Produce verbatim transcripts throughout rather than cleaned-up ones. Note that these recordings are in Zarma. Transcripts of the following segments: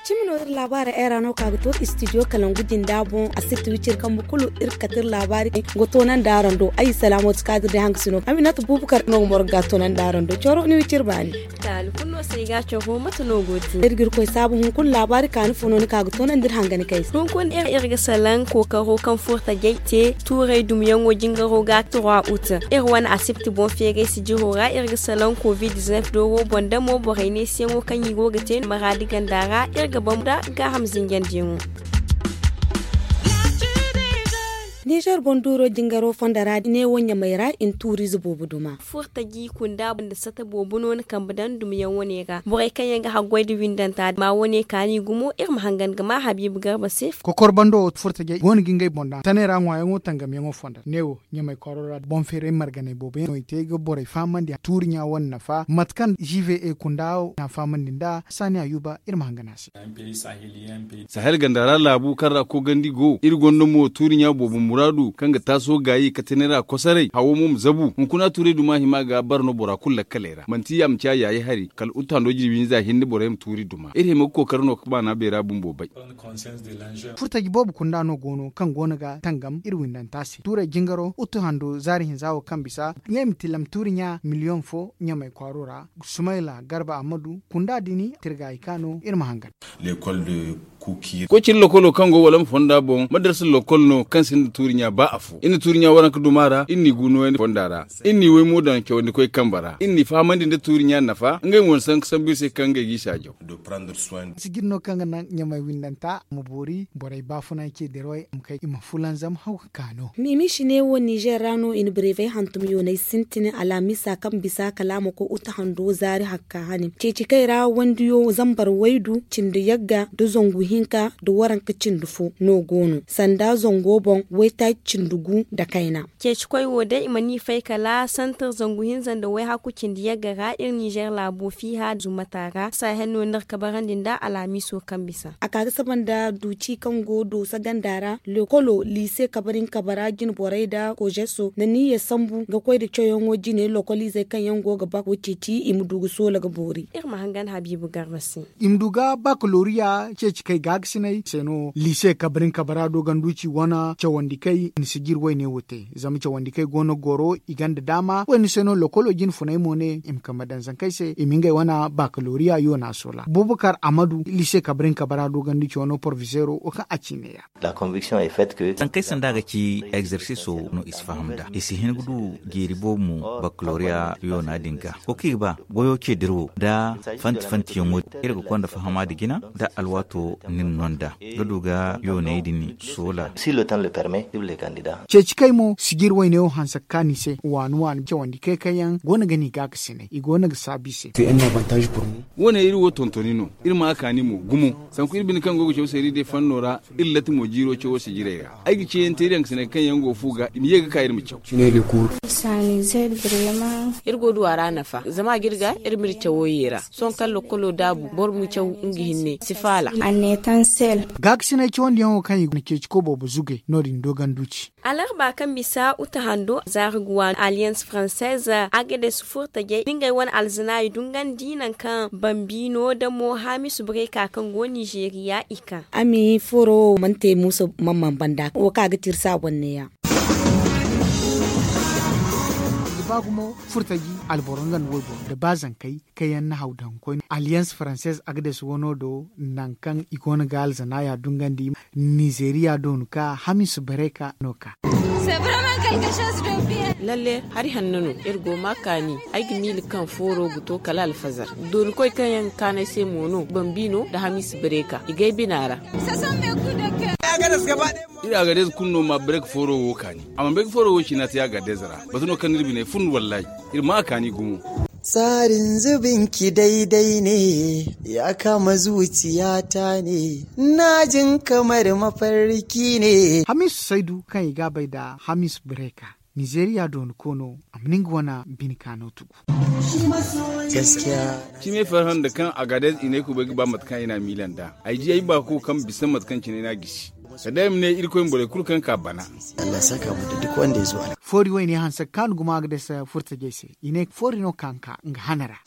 Cimi no iri laabaara era no ka ga to studio kalangu jinda boŋ a sirti wiciri kambu kulu. Iri ga kate iri laabaari ga toonandi araŋ do ay salaamatu kaadir day haŋ ga sino aminata buubukar no ga moro ga toonandi araŋ do coro ni wiciri baani. Taali kulu no se i ga a coro mate no go te. Iri ga iri koy saabu hunkuna laabaari kaani fo no ni ka ga toonandi iri hangani kay se hunkuna iri ga salaŋ kookaro kaŋ furtajey te tuuray dumyaŋo jingaro ga trois août. Iri wane asibti boŋ feeray sijiro ra iri ga salaŋ covid-19 dooro boŋ damo borey neesiyaŋo kaŋ i go ga te maraadi ganda ra iri ga bambata gaaham zinjandiyaŋo. Nizer boŋ duuro jingaro fondo ra neewo ɲamay ra i na tuuriize boobo duma. Furtaji kunda nda sata boobo no ni kambe daŋ dumyaŋ wane ra borey kaŋ yaŋ ga haggoy nda windanta ma wane kaani gumo iri ma hangan ga ma habiibu garba se. Kokor bando furtajey go no ga ngey boŋ daŋ tanay ra ŋwaayaŋo tangamyaŋo fondo neewo ɲamay kwaaro ra boŋ feeray marganey boobo yaŋ no i te ga borey fahamandi tuuri ɲa wane nafa mate kaŋ gva kunda n'a fahamandi nda saani ayuba iri ma hangan a se. Sahel ganda ra laabu kaŋ ra koogandi go iri gonda mo tuuri ɲa boobo muraadu kaŋ ga taaso gaayi katanay ra kosoray hawo mo ma zabu hunkuna tuuray duma hima ga bara no bora kulu lakkaley ra manti ya ma ciya yaayi hari kala utu hando jirbi hinza hinne borey ma tuuri duma iri hima ga kookari no ga baana beera bumbo bay. Furtaji boobo kunda no go no kaŋ go no ga tangam iri windanta se tuuray jingaro utu hando zaari hinza wo kaŋ bisa ɲey ma tilam tuuri ɲa miliyoŋ fo ɲamay kwaaro ra. Sumayla garba ammadu kunda din tirga i ka no iri ma hangan. Koy cine lokolo kaŋ go wala ma fonda boŋ madarsa lokol no kaŋ sinda tuuri ɲa ba afo iri na tuuri ɲa waranka duma ra iri n'i gu nooyandi fonda ra. Iri n'i waymo daŋ cawandi koy kamba ra iri n'i fahamandi nda tuuri ɲa nafa ngey mo na sanka sambu iri se kaŋ ngey g'i saajaw. Sijir no kaŋ ga naŋ ɲamay windanta ma boori borey baafunancey dirwey ma kay i ma fulanzam haw ga ka no. Mimiisi ne wo nizer ra no i na bareefey hantum yooney sintin alhamiisa kaŋ bisa kala a ma koy uta hando zaari hakka hane ceeci kay ra wandiyo zambar waydu cindi yagga nda zangu hinka nda waranka cindi fo no go no sanda zango boŋ waytaaci cindi gu nda kayna. Ceeci koy wo day i ma ni fay kala santir zangu hinza nda wayhakku cindi yagga ra iri nizer laabo fiiha zumata ra sahel no ni ra kabarandi nda alhamiiso kaŋ bisa a ka ga saba nda duuci kaŋ go doosa ganda ra lekolo liise kabarin kabara jine borey nda kozeso nda niiya sambu ga koy nda cawyaŋo jine lokoliizey kaŋ yaŋ go ga ba ga ceeci i ma du ga soola ga boori iri ma hangan habiibu garba se. I ma du ga bakaloriya ceeci kay gaagasinay se no liise kabarin kabara dooganduuci wane cawandi kay i na sijir wayne wo te zama cawandi kay go no goro i gonda daama wayne se no lokolo jine funay mo ne i ma kambe daŋ zankey se i ma ngey wane bakaloriya yoona soola bubakar amadu liise kabarin kabara dooganduuci wano porfizeero wo kaŋ a ci neeya. Zankey sanda ga ci egzersiso no i si faham nd'a i si hin ga du jiiri boobo mo bakaloriya yoona din ga wo kaŋ i ga ba goyo ce dirawo nda fanti fantiyaŋo din iri ga konda fahama nda jina nda alwaato nin no nd'a ga du ga yooney din soola. Ceeci kay mo sijir wayne wo hanse ga kaanu i se waani waani cawandi kay kaŋ yaŋ go no ga ni gaakasinay i go no ga saabu i se. Wo- ne iri wo tontoni no iri ma a kaani mo gumo sanku iri bine kaŋ go ga caw seeri day fanno ra. Iri latti mo jiiro cawo sijirey ra ay ga ceeyaŋ te iri yaŋ ga sinay kaŋ yaŋ go fu ga i ma ye ga ka iri ma caw. Iri go du a ra nafa zama a ga iri ga iri ma iri cawo ye ra sohõ kaŋ lokolo daabu boro ma caw nga hinne si faala. Gaakasinay cawandiyaŋo kaŋ i na ceeci koy boobo zugay no- din dooganduuci. Alarba kaŋ bisa uta hando zaari ga waani alliance française agades furtajey da ngey wane alzanaayi dungandi nangu kaŋ bambiino da mo hamisu bureka kaŋ go nizeeriya i kaŋ. Ami furo wo mana te muusa mamman banda wo kaŋ a ga te iri se a boŋ neeya. Ga ba gumo furtaji alboro nga nda wayboro nda ba zankey kaŋ yaŋ na haw daŋ koyne alliance française agades wano do nangu kaŋ i go no ga alzanaya dungandi nizeeriya do no ka hamisu bureka no ka. Lalle hari hanno no iri go ma kaani ay ga miila kaŋ fooro ga to kala alfazar dooni koy kaŋ yaŋ ga kaanu ay se mo no bambiino nda hamisu bureka i gay bina ra. Iri agadez kulu no ma bureka fooro wo kaani a mana bay ga fooro wo ciina te agadez ra batu no kaŋ no iri biney fun wallahi. Iri ma a kaani gumo. Tsarin zubinki daidai ne ya kama zuciyata ne na jin kamar mafarki ne. Hamisu saidu kaŋ i ga a bay nda hamisu bureka. Nizeeriya dooni koono a ma ni nga wane bine kaano tugu. Cimey farhã nda kaŋ agadez i ne ay kubay ga ba mate kaŋ ay n'a miila nd'a. Ay di ay baako kaŋ bisa mate kaŋ cine ay n'a gisi. Kala day ay ma ne irkoy ma borey kulu kaŋ ka bana. Foori wayne hanse ga kaanu gumo agadez furtajey se. I ne foori no kaŋ ka nga hana ra.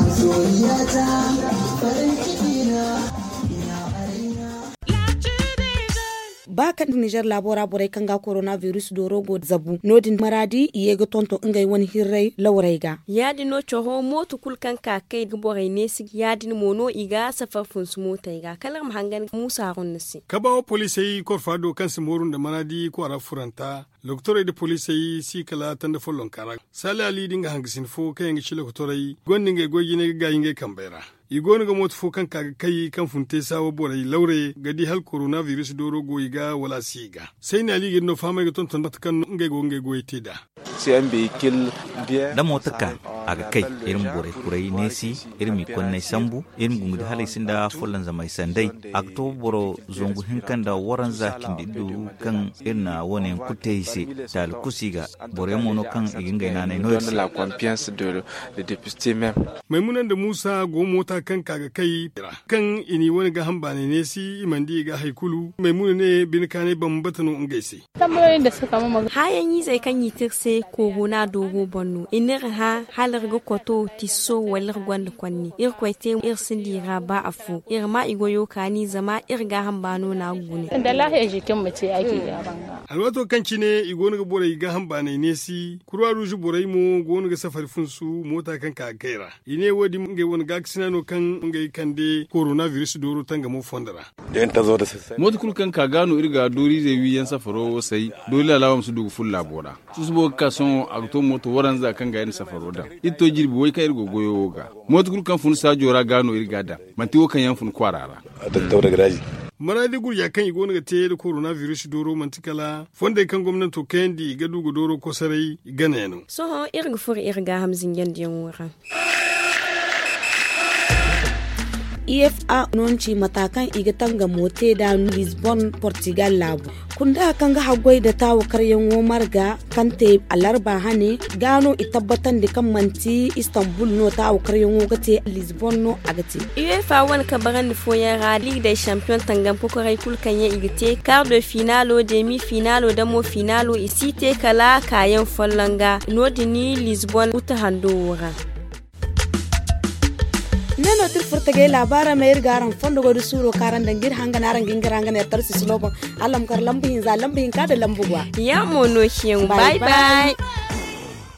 Ba kaŋ nizer laabo ra borey kaŋ ga korona biris dooro go zabu no- din maraadi i ye ga tonton ngey wane hirrey lawrey ga. Ya- din no coro mooto kulu kaŋ ka ga kay ga borey neesi ya- din mo no i ga safar funsu mootey ga kala iri ma hangan muusa harun ni se. Kabaawa poliisey korfa do kaŋ si mooru nda maraadi kwaara furanta. Lokotorey nda poliisey si kala tanda follonka ra. Saali ali nda nga hangasin fo kaŋ yaŋ ga ci lokotorey gonda ngey goy jinay ga gaayi ngey kambey ra. I go no ga mooto fo kaŋ ka ga kay kaŋ fun te saawa borey lawre ga di hala korona biris dooro go i ga wala a si i ga. Sayni ali ga iri no fahamay ga tonton mate kaŋ no ngey go ga ngey goyey te nd'a. Da mooto ka a ga kay, iri ma borey kuray neesi, iri m'i konnay sambu, iri ma gungu di hala ay sinda follonzamay sanday. A ga to boro zangu hinka nda waranza cindi iddu kaŋ iri na wo- ne yaŋ kulu te i se. Taali kusi ga boro yaŋ mo no kaŋ i ga ngey naanay no iri se. Maymuna nda muusa go moota kaŋ ka ga kay ra kaŋ i n'i wane gaaham baanay neesi i mana di i ga hari kulu maymuna ne bine kaanay bambata no ngey se. Hããyaŋ-izey kaŋ i te iri se korona dooro boŋ no i n'iri hã hala iri ga koto tisso wala iri gonda konni irkoy te iri sinda i ra ba afo iri ma i goyo kaani zama iri gaaham baano no a ga gune. Alwaato kaŋ cine i go no ga borey gaaham baanay neesi kurwa ruuzu borey mo go no ga safari funsu moota kaŋ ka ga kay ra. I ne wo- din ngey wane gaakasina no kaŋ ngey kande korona biris dooro tangamo fondo ra. Mooto kulu kaŋ ka ga no iri ga dooriizey wi yaŋ safaro wo say doori laala wo ma si du ga furo laabo ra. Susubo ga ka sohõ a ga to mooto waranza kaŋ ga iri na safaro daŋ. Iri to jirbi way kaŋ iri go goyo wo ga. Mooto kulu kaŋ fun saajo ra ga no iri ga a daŋ. Manti wo kaŋ yaŋ fun kwaara ra. Maraadi gurja kaŋ i go no ga te nda korona biris dooro manti kala fondey kaŋ gomnanto kayandi ga du ga dooro kosoray gana yaŋ no. Sohõ iri ga furo iri gaaham zinjandiyaŋo ra. Ifa no ni ci mata kaŋ i ga tangamo te nd'a lisbon portugal laabu. Kunda kaŋ ga haggoy nda taawakaryaŋo marga kaŋ te alarba hane ga no i tabbatandi kaŋ manti istanbul no taawakaryaŋo ga te lisbon no a ga te. Uefa wane kabarandi fooyaŋ ra liig day champion tangam kokoray kulu kaŋ yaŋ i ga te kar de finalo demi finalo damo finalo i si te kala kaayaŋ folloŋ ga no- din lisbon uta hando wo ra. Ne no ti iri furo tagay laabaara ma iri ga araŋ fondo goy da suuro kaŋ araŋ daŋ ga iri hangan araŋ ga hin ga ra nga ne tarsi sulo boŋ. Araŋ ma kar lambu hinza lambu hinka nda lambu gwa. Ya mo no ciyaŋ. Bay bay.